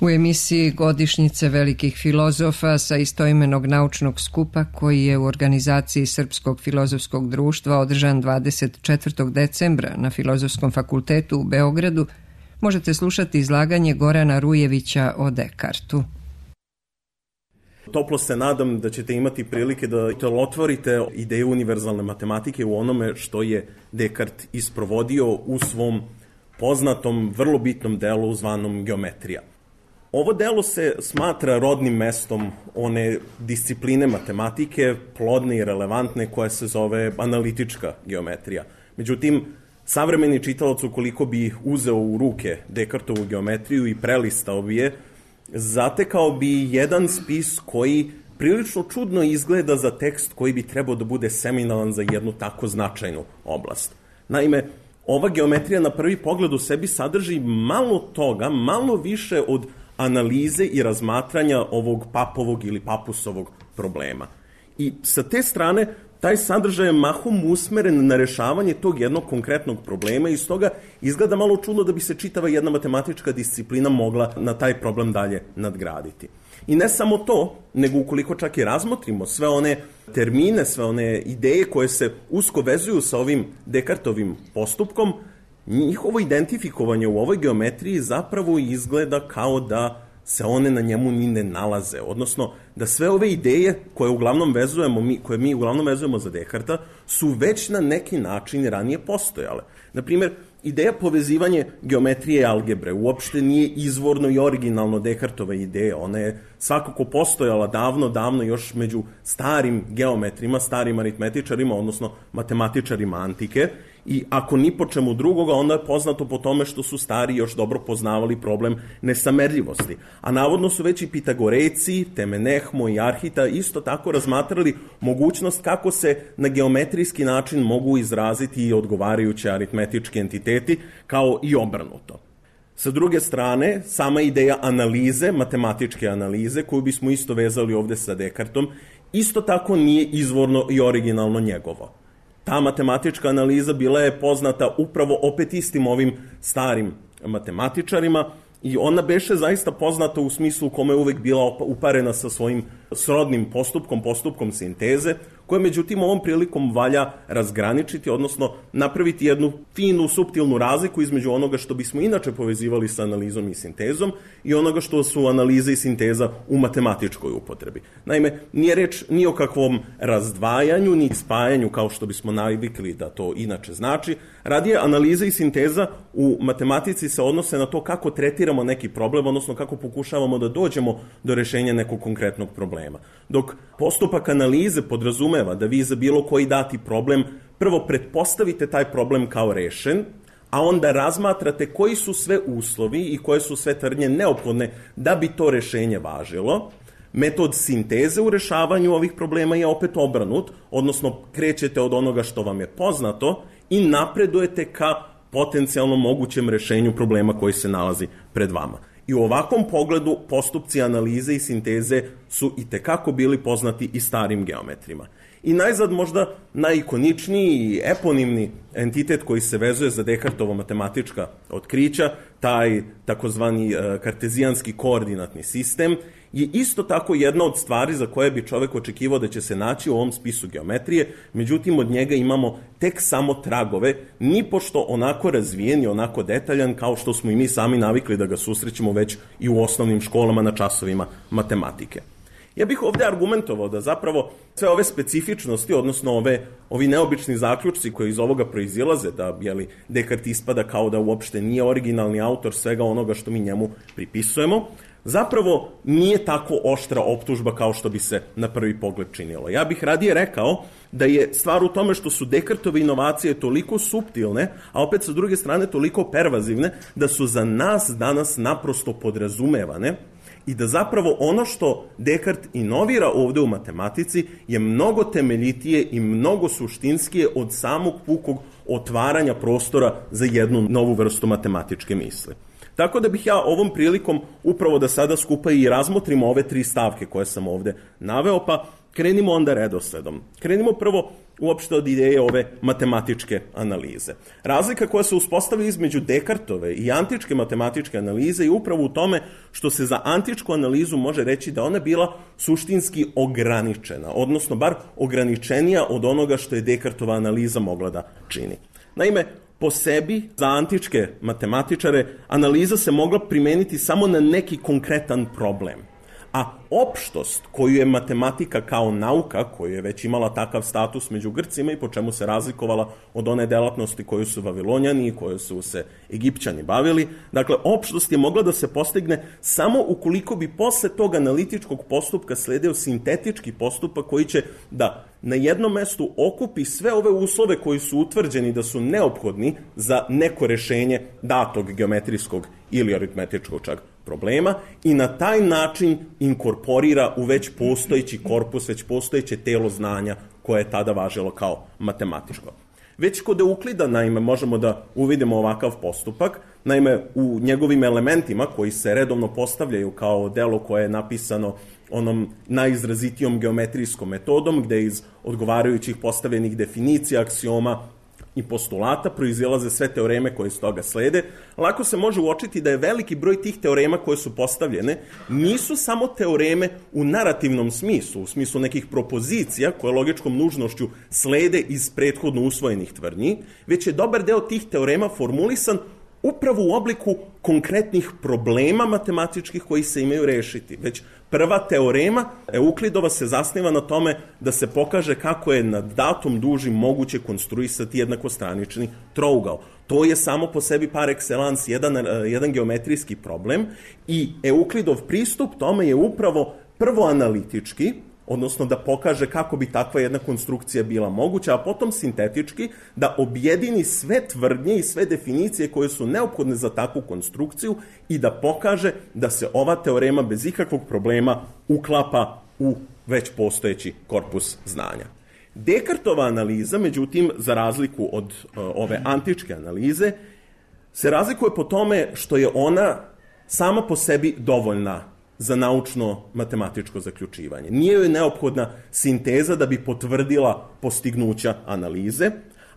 U emisiji Godišnjice velikih filozofa sa istoimenog naučnog skupa koji je u organizaciji Srpskog filozofskog društva održan 24. decembra na Filozofskom fakultetu u Beogradu možete slušati izlaganje Gorana Rujevića o Dekartu. Toplo se nadam da ćete imati prilike da otvorite ideju univerzalne matematike u onome što je Dekart isprovodio u svom poznatom, vrlo bitnom delu zvanom geometrija. Ovo delo se smatra rodnim mestom one discipline matematike, plodne i relevantne, koja se zove analitička geometrija. Međutim, savremeni čitalac, ukoliko bi uzeo u ruke Dekartovu geometriju i prelistao bi je, zatekao bi jedan spis koji prilično čudno izgleda za tekst koji bi trebao da bude seminalan za jednu tako značajnu oblast. Naime, ova geometrija na prvi pogled u sebi sadrži malo toga, malo više od analize i razmatranja ovog papovog ili papusovog problema. I sa te strane, taj sadržaj je mahom usmeren na rešavanje tog jednog konkretnog problema i stoga izgleda malo čudno da bi se čitava jedna matematička disciplina mogla na taj problem dalje nadgraditi. I ne samo to, nego ukoliko čak i razmotrimo sve one termine, sve one ideje koje se usko vezuju sa ovim Dekartovim postupkom, njihovo identifikovanje u ovoj geometriji zapravo izgleda kao da se one na njemu ni ne nalaze, odnosno da sve ove ideje koje mi uglavnom vezujemo za Dekarta su već na neki način ranije postojale. Naprimjer, ideja povezivanje geometrije i algebre uopšte nije izvorno i originalno Dekartova ideja. Ona je svakako postojala davno još među starim geometrima, starim aritmetičarima, odnosno matematičarima antike, i ako ni po čemu drugoga, onda je poznato po tome što su stari još dobro poznavali problem nesamerljivosti. A navodno su već i Pitagorejci, Temenehmo i Arhita isto tako razmatrali mogućnost kako se na geometrijski način mogu izraziti i odgovarajuće aritmetički entiteti, kao i obrnuto. Sa druge strane, sama ideja analize, matematičke analize, koju bismo isto vezali ovde sa Dekartom, isto tako nije izvorno i originalno njegovo. Ta matematička analiza bila je poznata upravo opet istim ovim starim matematičarima i ona beše zaista poznata u smislu kome je uvek bila uparena sa svojim srodnim postupkom sinteze, koje međutim ovom prilikom valja razgraničiti, odnosno napraviti jednu finu, suptilnu razliku između onoga što bismo inače povezivali sa analizom i sintezom i onoga što su analiza i sinteza u matematičkoj upotrebi. Naime, nije reč ni o kakvom razdvajanju, ni spajanju kao što bismo navikli da to inače znači. Radije, analiza i sinteza u matematici se odnose na to kako tretiramo neki problem, odnosno kako pokušavamo da dođemo do rešenja nekog konkretnog problema. Dok postupak analize podrazumeva da vi za bilo koji dati problem prvo pretpostavite taj problem kao rešen, a onda razmatrate koji su sve uslovi i koje su sve tvrdnje neophodne da bi to rešenje važilo. Metod sinteze u rešavanju ovih problema je opet obrnut, odnosno krećete od onoga što vam je poznato i napredujete ka potencijalno mogućem rešenju problema koji se nalazi pred vama. I u ovakvom pogledu postupci analize i sinteze su itekako bili poznati i starim geometrima. I najzad možda najikoničniji i eponimni entitet koji se vezuje za Dekartovo matematička otkrića, taj takozvani kartezijanski koordinatni sistem, je isto tako jedna od stvari za koje bi čovek očekivao da će se naći u ovom spisu geometrije, međutim od njega imamo tek samo tragove, nipošto onako razvijen i onako detaljan kao što smo i mi sami navikli da ga susrećemo već i u osnovnim školama na časovima matematike. Ja bih ovde argumentovao da zapravo sve ove specifičnosti, odnosno ovi neobični zaključci koji iz ovoga proizilaze, da Dekart ispada kao da uopšte nije originalni autor svega onoga što mi njemu pripisujemo, zapravo nije tako oštra optužba kao što bi se na prvi pogled činilo. Ja bih radije rekao da je stvar u tome što su Dekartove inovacije toliko suptilne, a opet sa druge strane toliko pervazivne, da su za nas danas naprosto podrazumevane i da zapravo ono što Dekart inovira ovde u matematici je mnogo temeljitije i mnogo suštinskije od samog pukog otvaranja prostora za jednu novu vrstu matematičke misli. Tako da bih ja ovom prilikom upravo da sada skupa i razmotrimo ove tri stavke koje sam ovde naveo, pa krenimo onda redosledom. Krenimo prvo uopšte od ideje ove matematičke analize. Razlika koja se uspostavlja između Dekartove i antičke matematičke analize je upravo u tome što se za antičku analizu može reći da ona bila suštinski ograničena, odnosno bar ograničenija od onoga što je Dekartova analiza mogla da čini. Naime, po sebi, za antičke matematičare, analiza se mogla primeniti samo na neki konkretan problem. A opštost koju je matematika kao nauka, koju je već imala takav status među Grcima i po čemu se razlikovala od one delatnosti koju su Vavilonjani i koju su se Egipćani bavili, dakle, opštost je mogla da se postigne samo ukoliko bi posle tog analitičkog postupka sledeo sintetički postupak koji će da na jednom mestu okupi sve ove uslove koji su utvrđeni da su neophodni za neko rešenje datog geometrijskog ili aritmetičkog čak problema i na taj način inkorporira u već postojeći korpus, već postojeće telo znanja koje je tada važilo kao matematičko. Već kod Euklida, naime, možemo da uvidimo ovakav postupak. Naime, u njegovim elementima koji se redovno postavljaju kao delo koje je napisano onom najizrazitijom geometrijskom metodom, gde iz odgovarajućih postavljenih definicija, aksioma i postulata proizilaze sve teoreme koje iz toga slede, lako se može uočiti da je veliki broj tih teorema koje su postavljene nisu samo teoreme u narativnom smislu, u smislu nekih propozicija koje logičkom nužnošću slede iz prethodno usvojenih tvrdnji, već je dobar deo tih teorema formulisan upravo u obliku konkretnih problema matematičkih koji se imaju rešiti. Već prva teorema Euklidova se zasniva na tome da se pokaže kako je na datom duži moguće konstruisati jednakostranični trougao. To je samo po sebi par excellence jedan geometrijski problem i Euklidov pristup tome je upravo prvo analitički, odnosno da pokaže kako bi takva jedna konstrukcija bila moguća, a potom sintetički da objedini sve tvrdnje i sve definicije koje su neophodne za takvu konstrukciju i da pokaže da se ova teorema bez ikakvog problema uklapa u već postojeći korpus znanja. Dekartova analiza, međutim, za razliku od ove antičke analize, se razlikuje po tome što je ona sama po sebi dovoljna za naučno-matematičko zaključivanje. Nije joj neophodna sinteza da bi potvrdila postignuća analize,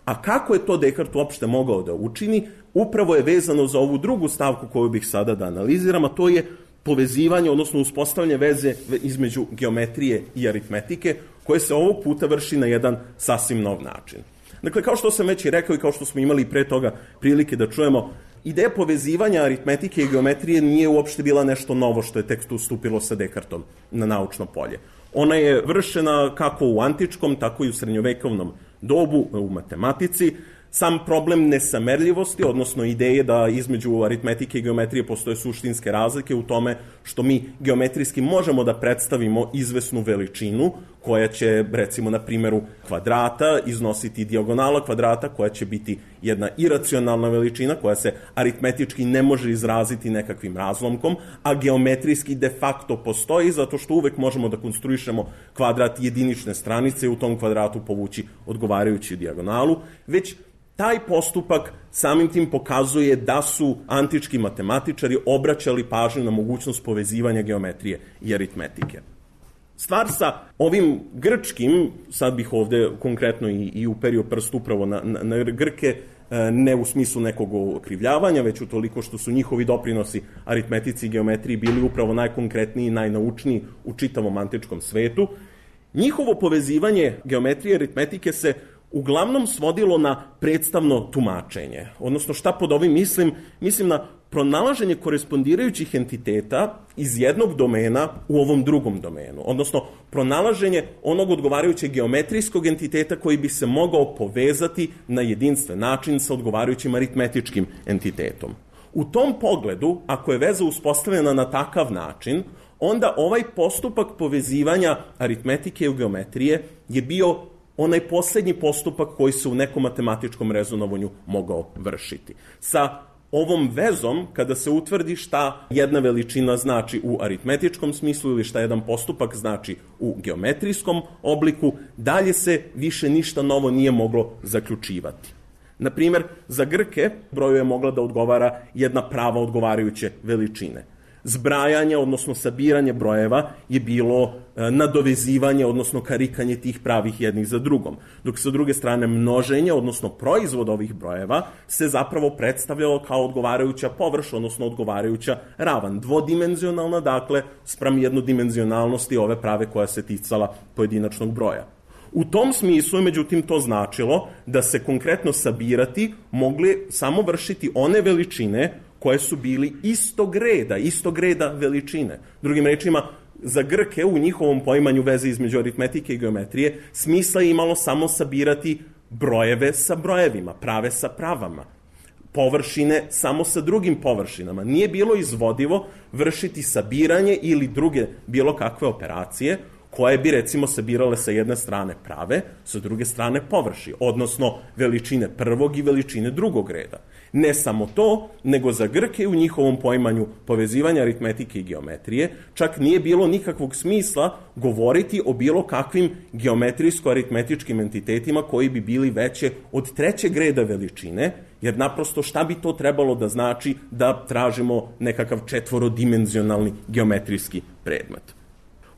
a kako je to Dekart uopšte mogao da učini, upravo je vezano za ovu drugu stavku koju bih sada da analiziram, a to je povezivanje, odnosno uspostavljanje veze između geometrije i aritmetike, koje se ovog puta vrši na jedan sasvim nov način. Dakle, kao što sam već i rekao i kao što smo imali pre toga prilike da čujemo, ideja povezivanja aritmetike i geometrije nije uopšte bila nešto novo što je tek ustupilo sa Dekartom na naučno polje. Ona je vršena kako u antičkom, tako i u srednjovekovnom dobu u matematici. Sam problem nesamerljivosti, odnosno ideje da između aritmetike i geometrije postoje suštinske razlike u tome što mi geometrijski možemo da predstavimo izvesnu veličinu koja će, recimo na primjeru kvadrata, iznositi dijagonala kvadrata koja će biti jedna iracionalna veličina koja se aritmetički ne može izraziti nekakvim razlomkom, a geometrijski de facto postoji zato što uvek možemo da konstruišemo kvadrat jedinične stranice i u tom kvadratu povući odgovarajuću dijagonalu, već taj postupak samim tim pokazuje da su antički matematičari obraćali pažnju na mogućnost povezivanja geometrije i aritmetike. Stvar sa ovim grčkim, sad bih ovde konkretno i uperio prst upravo na Grke, ne u smislu nekog okrivljavanja, već utoliko što su njihovi doprinosi aritmetici i geometriji bili upravo najkonkretniji i najnaučniji u čitavom antičkom svetu. Njihovo povezivanje geometrije i aritmetike se uglavnom svodilo na predstavno tumačenje. Odnosno, šta pod ovim mislim? Mislim na pronalaženje korespondirajućih entiteta iz jednog domena u ovom drugom domenu. Odnosno, pronalaženje onog odgovarajućeg geometrijskog entiteta koji bi se mogao povezati na jedinstven način sa odgovarajućim aritmetičkim entitetom. U tom pogledu, ako je veza uspostavljena na takav način, onda ovaj postupak povezivanja aritmetike i geometrije je bio onaj posljednji postupak koji se u nekom matematičkom rezonovanju mogao vršiti. Sa ovom vezom, kada se utvrdi šta jedna veličina znači u aritmetičkom smislu ili šta jedan postupak znači u geometrijskom obliku, dalje se više ništa novo nije moglo zaključivati. Na primjer, za Grke broju je mogla da odgovara jedna prava odgovarajuće veličine. zbrajanja, odnosno sabiranje brojeva je bilo nadovezivanje, odnosno karikanje tih pravih jednih za drugom. Dok sa druge strane množenje, odnosno proizvod ovih brojeva, se zapravo predstavljalo kao odgovarajuća površ, odnosno odgovarajuća ravan. Dvodimenzionalna, dakle, spram jednodimenzionalnosti ove prave koja se ticala pojedinačnog broja. U tom smislu, međutim, to značilo da se konkretno sabirati mogli samo vršiti one veličine koje su bili istog reda veličine. Drugim rečima, za Grke u njihovom poimanju veze između aritmetike i geometrije smisla je imalo samo sabirati brojeve sa brojevima, prave sa pravama, površine samo sa drugim površinama. Nije bilo izvodivo vršiti sabiranje ili druge bilo kakve operacije koje bi, recimo, sabirale sa jedne strane prave, sa druge strane površi, odnosno veličine prvog i veličine drugog reda. Ne samo to, nego za Grke u njihovom poimanju povezivanja aritmetike i geometrije čak nije bilo nikakvog smisla govoriti o bilo kakvim geometrijsko-aritmetičkim entitetima koji bi bili veće od trećeg reda veličine, jer naprosto šta bi to trebalo da znači da tražimo nekakav četvorodimenzionalni geometrijski predmet.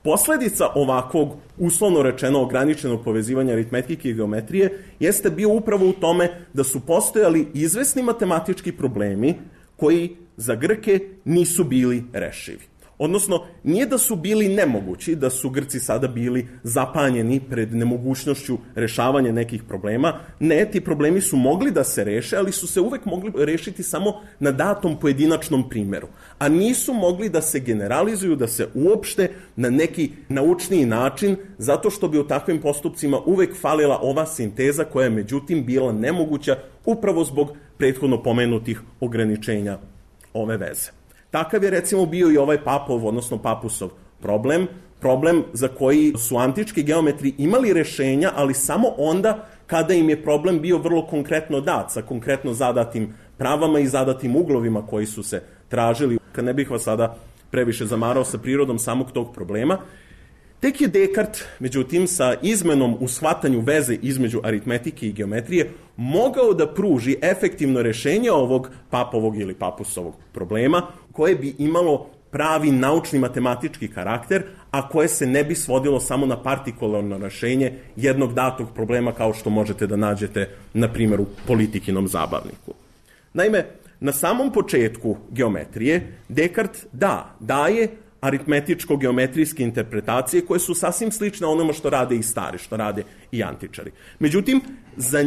Posledica ovakvog, uslovno rečeno, ograničenog povezivanja aritmetike i geometrije jeste bio upravo u tome da su postojali izvesni matematički problemi koji za Grke nisu bili rešivi. Odnosno, nije da su bili nemogući, da su Grci sada bili zapanjeni pred nemogućnošću rešavanja nekih problema. Ne, ti problemi su mogli da se reše, ali su se uvek mogli rešiti samo na datom pojedinačnom primeru. A nisu mogli da se generalizuju, da se uopšte na neki naučniji način, zato što bi u takvim postupcima uvek falila ova sinteza koja je međutim bila nemoguća upravo zbog prethodno pomenutih ograničenja ove veze. Takav je, recimo, bio i ovaj Papov, odnosno Papusov problem za koji su antički geometri imali rešenja, ali samo onda kada im je problem bio vrlo konkretno dat, sa konkretno zadatim pravama i zadatim uglovima koji su se tražili. Kad ne bih vas sada previše zamarao sa prirodom samog tog problema, tek je Descartes, međutim, sa izmenom u shvatanju veze između aritmetike i geometrije mogao da pruži efektivno rešenje ovog Papovog ili Papusovog problema, koje bi imalo pravi naučni matematički karakter, a koje se ne bi svodilo samo na partikularno rešenje jednog datog problema kao što možete da nađete, na primjer, u Politikinom zabavniku. Naime, na samom početku geometrije Descartes daje aritmetičko-geometrijske interpretacije koje su sasvim slične onome što rade i stari, što rade i antičari. Međutim, za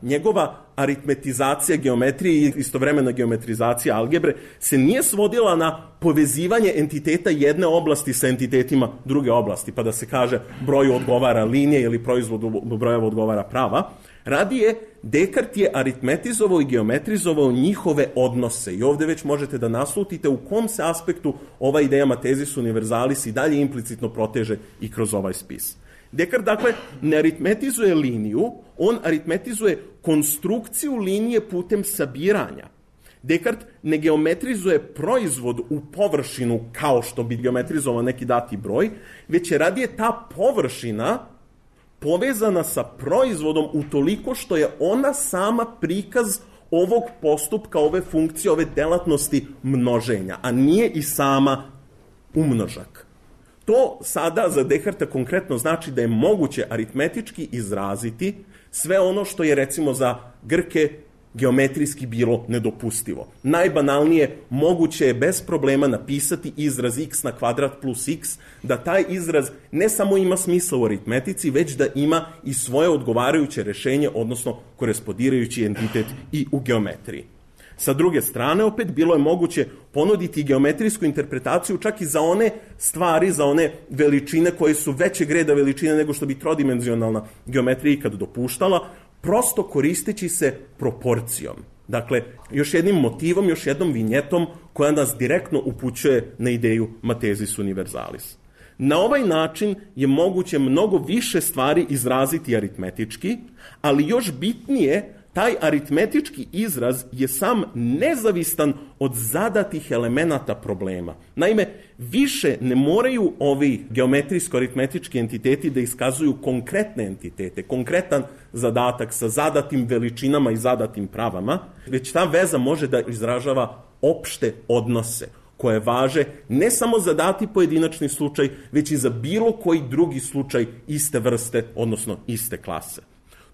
njegova aritmetizacija geometrije i istovremena geometrizacija algebre se nije svodila na povezivanje entiteta jedne oblasti sa entitetima druge oblasti, pa da se kaže broju odgovara linije ili proizvodu brojeva odgovara prava. Radije, Descartes je aritmetizovao i geometrizovao njihove odnose i ovde već možete da naslutite u kom se aspektu ova ideja Mathesis universalis i dalje implicitno proteže i kroz ovaj spis. Descartes, dakle, ne aritmetizuje liniju, on aritmetizuje konstrukciju linije putem sabiranja. Descartes ne geometrizuje proizvod u površinu kao što bi geometrizovao neki dati broj, već je radije ta površina povezana sa proizvodom utoliko što je ona sama prikaz ovog postupka, ove funkcije, ove delatnosti množenja, a nije i sama umnožak. To sada za Descartesa konkretno znači da je moguće aritmetički izraziti sve ono što je, recimo, za Grke geometrijski bilo nedopustivo. Najbanalnije, moguće je bez problema napisati izraz x na kvadrat plus x, da taj izraz ne samo ima smisla u aritmetici, već da ima i svoje odgovarajuće rešenje, odnosno korespondirajući entitet i u geometriji. Sa druge strane, opet, bilo je moguće ponuditi geometrijsku interpretaciju čak i za one stvari, za one veličine koje su većeg reda veličine nego što bi trodimenzionalna geometrija ikad dopuštala, prosto koristeći se proporcijom. Dakle, još jednim motivom, još jednom vinjetom koja nas direktno upućuje na ideju Mathesis universalis. Na ovaj način je moguće mnogo više stvari izraziti aritmetički, ali još bitnije, taj aritmetički izraz je sam nezavistan od zadatih elemenata problema. Naime, više ne moraju ovi geometrijsko-aritmetički entiteti da iskazuju konkretne entitete, konkretan zadatak sa zadatim veličinama i zadatim pravama, već ta veza može da izražava opšte odnose. koje važe ne samo za dati pojedinačni slučaj, već i za bilo koji drugi slučaj iste vrste, odnosno iste klase.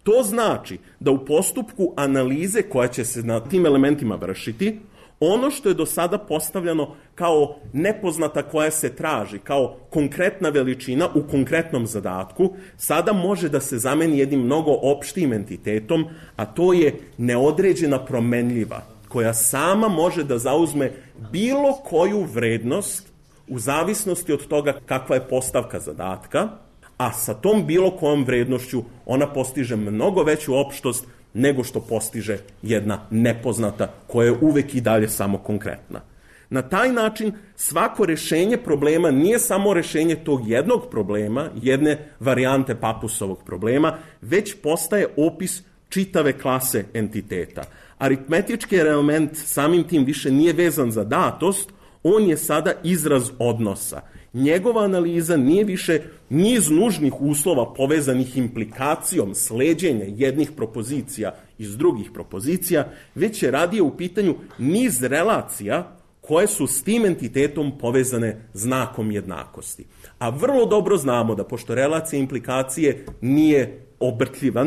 To znači da u postupku analize koja će se na tim elementima vršiti, ono što je do sada postavljeno kao nepoznata koja se traži, kao konkretna veličina u konkretnom zadatku, sada može da se zameni jednim mnogo opštijim entitetom, a to je neodređena promenljiva, koja sama može da zauzme bilo koju vrednost u zavisnosti od toga kakva je postavka zadatka, a sa tom bilo kojom vrednošću ona postiže mnogo veću opštost nego što postiže jedna nepoznata koja je uvek i dalje samo konkretna. Na taj način svako rešenje problema nije samo rešenje tog jednog problema, jedne varijante Papusovog problema, već postaje opis čitave klase entiteta. Aritmetički element samim tim više nije vezan za datost, on je sada izraz odnosa. Njegova analiza nije više niz nužnih uslova povezanih implikacijom sleđenja jednih propozicija iz drugih propozicija, već je radije u pitanju niz relacija koje su s tim entitetom povezane znakom jednakosti. A vrlo dobro znamo da pošto relacija implikacije nije obrtljiva,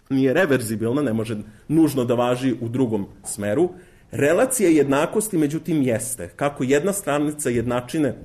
nije reverzibilna, ne može nužno da važi u drugom smeru, relacija jednakosti međutim jeste. Kako jedna stranica jednačine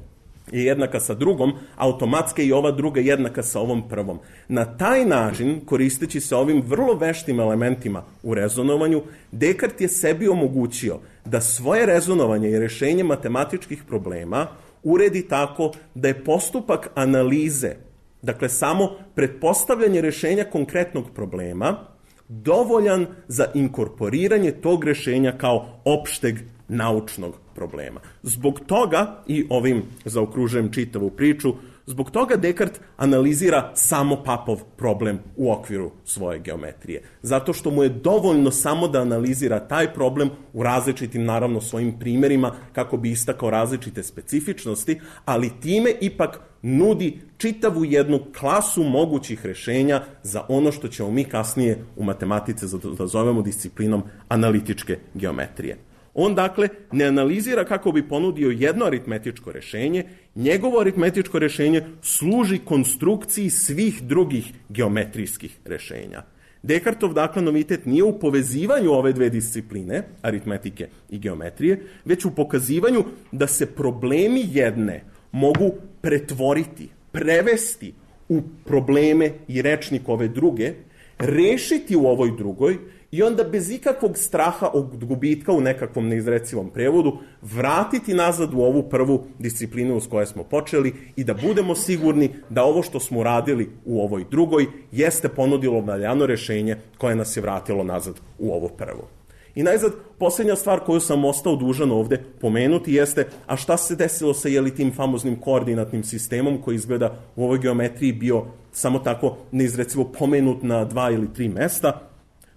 je jednaka sa drugom, automatski i ova druga jednaka sa ovom prvom. Na taj način, koristeći se ovim vrlo veštim elementima u rezonovanju, Descartes je sebi omogućio da svoje rezonovanje i rešenje matematičkih problema uredi tako da je postupak analize, dakle samo pretpostavljanje rešenja konkretnog problema, dovoljan za inkorporiranje tog rešenja kao opšteg naučnog problema. Zbog toga, i ovim zaokružujem čitavu priču, zbog toga Descartes analizira samo Papov problem u okviru svoje geometrije. Zato što mu je dovoljno samo da analizira taj problem u različitim, naravno, svojim primjerima kako bi istakao različite specifičnosti, ali time ipak nudi čitavu jednu klasu mogućih rešenja za ono što ćemo mi kasnije u matematici da zovemo disciplinom analitičke geometrije. On, dakle, ne analizira kako bi ponudio jedno aritmetičko rešenje, njegovo aritmetičko rešenje služi konstrukciji svih drugih geometrijskih rešenja. Descartov, dakle, novitet nije u povezivanju ove dve discipline, aritmetike i geometrije, već u pokazivanju da se problemi jedne mogu pretvoriti, prevesti u probleme i rečnik ove druge, rešiti u ovoj drugoj i onda bez ikakvog straha od gubitka u nekakvom neizrecivom prevodu vratiti nazad u ovu prvu disciplinu s kojoj smo počeli i da budemo sigurni da ovo što smo radili u ovoj drugoj jeste ponudilo valjano rešenje koje nas je vratilo nazad u ovo prvo. I najzad, posljednja stvar koju sam ostao dužan ovde pomenuti jeste, a šta se desilo sa tim famoznim koordinatnim sistemom koji izgleda u ovoj geometriji bio samo tako neizrecivo pomenut na 2 ili 3 mesta.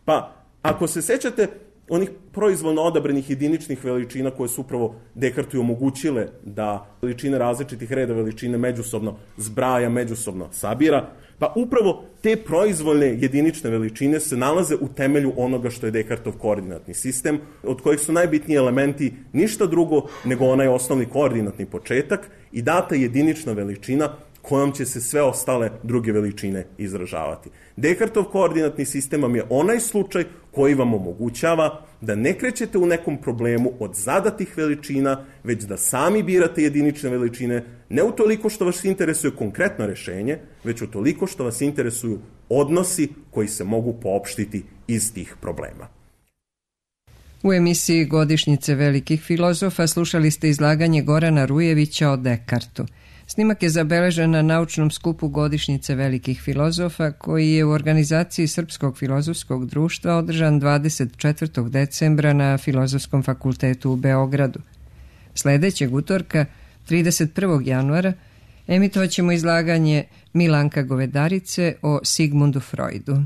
Pa, ako se sećate onih proizvoljno odabranih jediničnih veličina koje su upravo Descartesu omogućile da veličine različitih reda veličine međusobno zbraja, međusobno sabira, pa upravo te proizvoljne jedinične veličine se nalaze u temelju onoga što je Descartov koordinatni sistem, od kojih su najbitniji elementi ništa drugo nego onaj osnovni koordinatni početak i data jedinična veličina kojom će se sve ostale druge veličine izražavati. Descartov koordinatni sistem vam je onaj slučaj koji vam omogućava da ne krećete u nekom problemu od zadatih veličina, već da sami birate jedinične veličine, ne utoliko što vas interesuje konkretno rešenje, već utoliko što vas interesuju odnosi koji se mogu poopštiti iz tih problema. U emisiji Godišnjice velikih filozofa slušali ste izlaganje Gorana Rujevića o Descartesu. Snimak je zabeležen na naučnom skupu Godišnjice velikih filozofa koji je u organizaciji Srpskog filozofskog društva održan 24. decembra na Filozofskom fakultetu u Beogradu. Sledećeg utorka, 31. januara, emitovaćemo izlaganje Milanka Govedarice o Sigmundu Freudu.